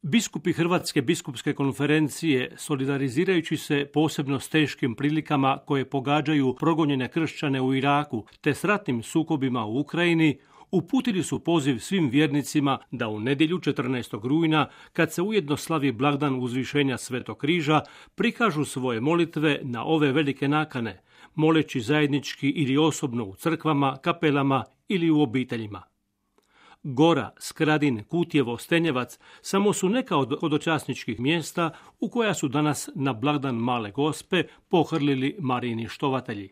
Biskupi Hrvatske biskupske konferencije, solidarizirajući se posebno s teškim prilikama koje pogađaju progonjene kršćane u Iraku te s ratnim sukobima u Ukrajini, uputili su poziv svim vjernicima da u nedjelju 14. rujna, kad se ujedno slavi blagdan uzvišenja Svetog križa, prikažu svoje molitve na ove velike nakane, moleći zajednički ili osobno u crkvama, kapelama ili u obiteljima. Gora, Skradin, Kutjevo, Stenjevac samo su neka od hodočasničkih mjesta u koja su danas na blagdan Male Gospe pohrlili Marijini štovatelji.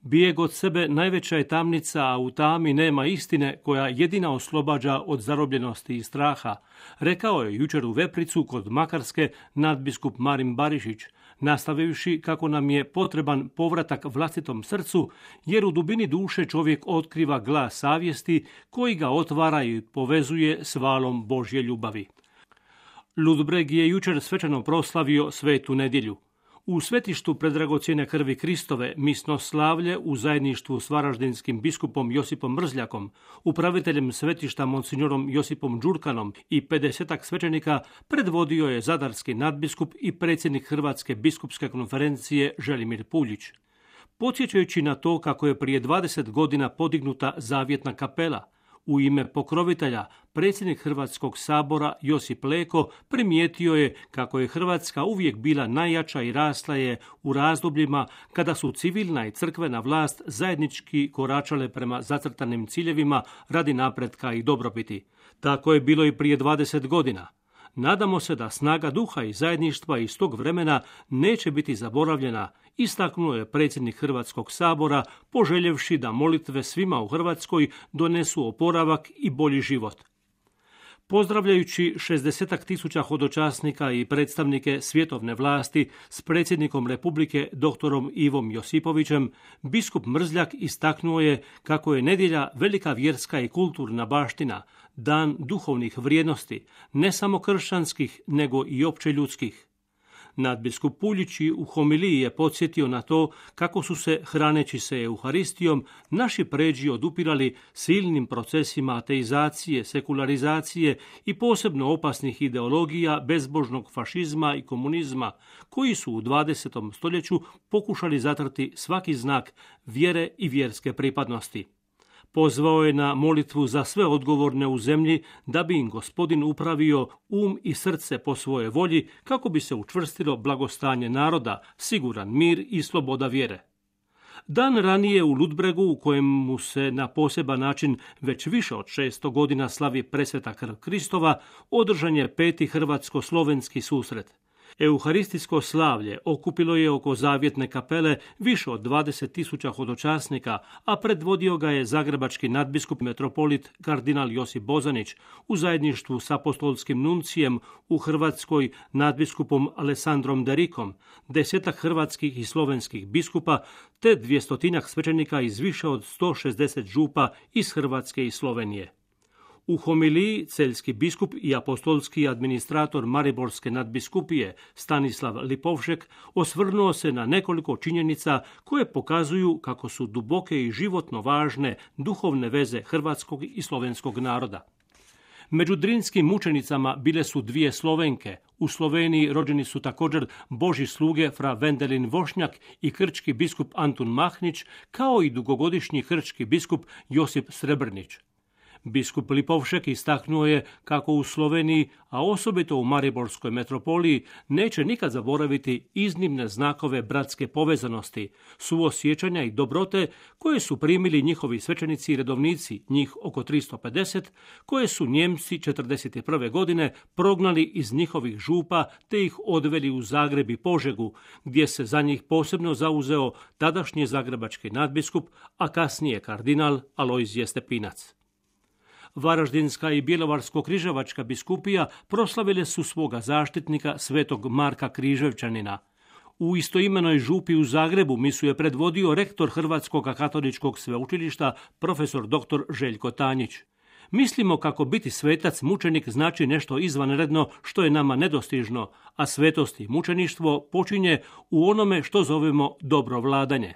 Bijeg od sebe najveća je tamnica, a u tami nema istine koja jedina oslobađa od zarobljenosti i straha, rekao je jučer u Vepricu kod Makarske nadbiskup Marin Barišić, nastavivši kako nam je potreban povratak vlastitom srcu, jer u dubini duše čovjek otkriva glas savjesti koji ga otvara i povezuje s valom Božje ljubavi. Ludbreg je jučer svečano proslavio Svetu nedjelju. U svetištu predragocjene krvi Kristove misno slavlje u zajedništvu s varaždinskim biskupom Josipom Mrzljakom, upraviteljem svetišta monsignorom Josipom Đurkanom i 50-ak svećenika predvodio je zadarski nadbiskup i predsjednik Hrvatske biskupske konferencije Želimir Puljić. Podsjećajući na to kako je prije 20 godina podignuta zavjetna kapela, u ime pokrovitelja, predsjednik Hrvatskog sabora Josip Leko primijetio je kako je Hrvatska uvijek bila najjača i rasla je u razdobljima kada su civilna i crkvena vlast zajednički koračale prema zacrtanim ciljevima radi napretka i dobrobiti. Tako je bilo i prije 20 godina. Nadamo se da snaga duha i zajedništva iz tog vremena neće biti zaboravljena, istaknuo je predsjednik Hrvatskog sabora, poželjevši da molitve svima u Hrvatskoj donesu oporavak i bolji život. Pozdravljajući 60.000 hodočasnika i predstavnike svjetovne vlasti s predsjednikom Republike doktorom Ivom Josipovićem, biskup Mrzljak istaknuo je kako je nedjelja velika vjerska i kulturna baština, dan duhovnih vrijednosti, ne samo kršćanskih, nego i opće ljudskih. Nadbiskup Puljić u homiliji je podsjetio na to kako su se, hraneći se Euharistijom, naši pređi odupirali silnim procesima ateizacije, sekularizacije i posebno opasnih ideologija bezbožnog fašizma i komunizma, koji su u 20. stoljeću pokušali zatrti svaki znak vjere i vjerske pripadnosti. Pozvao je na molitvu za sve odgovorne u zemlji da bi im Gospodin upravio i srce po svojoj volji kako bi se učvrstilo blagostanje naroda, siguran mir i sloboda vjere. Dan ranije u Ludbregu, u kojemu se na poseban način već više od 600 godina slavi presveta krv Kristova, održan je 5. hrvatsko-slovenski susret. Euharistijsko slavlje okupilo je oko zavjetne kapele više od 20.000 hodočasnika, a predvodio ga je zagrebački nadbiskup metropolit kardinal Josip Bozanić u zajedništvu s apostolskim nuncijem u Hrvatskoj nadbiskupom Alessandrom Derikom, 10 hrvatskih i slovenskih biskupa te 200 svećenika iz više od 160 župa iz Hrvatske i Slovenije. U homiliji celjski biskup i apostolski administrator Mariborske nadbiskupije Stanislav Lipovšek osvrnuo se na nekoliko činjenica koje pokazuju kako su duboke i životno važne duhovne veze hrvatskog i slovenskog naroda. Među drinskim mučenicama bile su 2 Slovenke. U Sloveniji rođeni su također Božji sluge fra Vendelin Vošnjak i krčki biskup Antun Mahnić, kao i dugogodišnji krčki biskup Josip Srebrnić. Biskup Lipovšek istaknuo je kako u Sloveniji, a osobito u Mariborskoj metropoliji, neće nikad zaboraviti iznimne znakove bratske povezanosti, suosjećanja i dobrote koje su primili njihovi svećenici i redovnici, njih oko 350, koje su Njemci 1941. godine prognali iz njihovih župa te ih odveli u Zagreb i Požegu, gdje se za njih posebno zauzeo tadašnji zagrebački nadbiskup, a kasnije kardinal Alojzije Stepinac. Varaždinska i Bjelovarsko-križevačka biskupija proslavile su svoga zaštitnika svetog Marka Križevčanina. U istoimenoj župi u Zagrebu misu je predvodio rektor Hrvatskog katoličkog sveučilišta profesor dr. Željko Tanjić. Mislimo kako biti svetac mučenik znači nešto izvanredno što je nama nedostižno, a svetost i mučeništvo počinje u onome što zovemo dobro vladanje.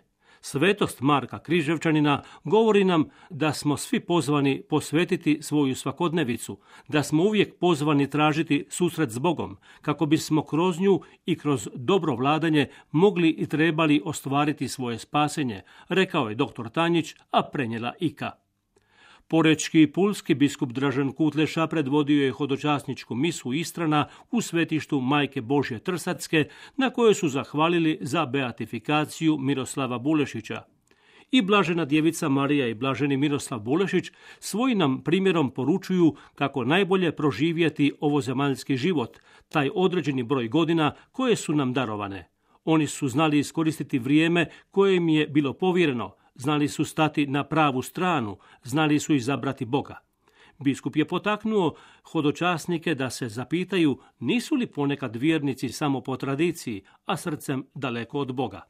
Svetost Marka Križevčanina govori nam da smo svi pozvani posvetiti svoju svakodnevicu, da smo uvijek pozvani tražiti susret s Bogom, kako bismo kroz nju i kroz dobro vladanje mogli i trebali ostvariti svoje spasenje, rekao je dr. Tanjić, a prenijela Ika. Porečki i pulski biskup Dražen Kutleša predvodio je hodočasničku misu Istrana u svetištu Majke Božje Trsatske, na kojoj su zahvalili za beatifikaciju Miroslava Bulešića. I blažena djevica Marija i blaženi Miroslav Bulešić svojim nam primjerom poručuju kako najbolje proživjeti ovozemaljski život, taj određeni broj godina koje su nam darovane. Oni su znali iskoristiti vrijeme koje im je bilo povjereno, znali su stati na pravu stranu, znali su izabrati Boga. Biskup je potaknuo hodočasnike da se zapitaju nisu li ponekad vjernici samo po tradiciji, a srcem daleko od Boga.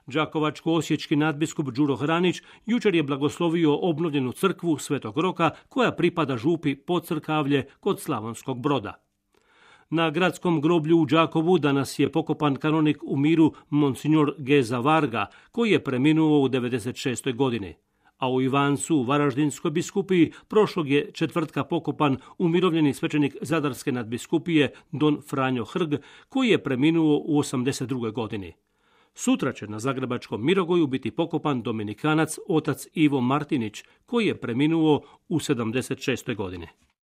Đakovačko-osječki nadbiskup Đuro Hranić jučer je blagoslovio obnovljenu crkvu Svetog Roka koja pripada župi Podcrkavlje kod Slavonskog Broda. Na gradskom groblju u Đakovu danas je pokopan kanonik u miru Monsignor Geza Varga, koji je preminuo u 96. godini. A u Ivancu, u Varaždinskoj biskupiji, prošlog je četvrtka pokopan umirovljeni svećenik Zadarske nadbiskupije Don Franjo Hrg, koji je preminuo u 82. godini. Sutra će na zagrebačkom Mirogoju biti pokopan dominikanac otac Ivo Martinić, koji je preminuo u 76. godini.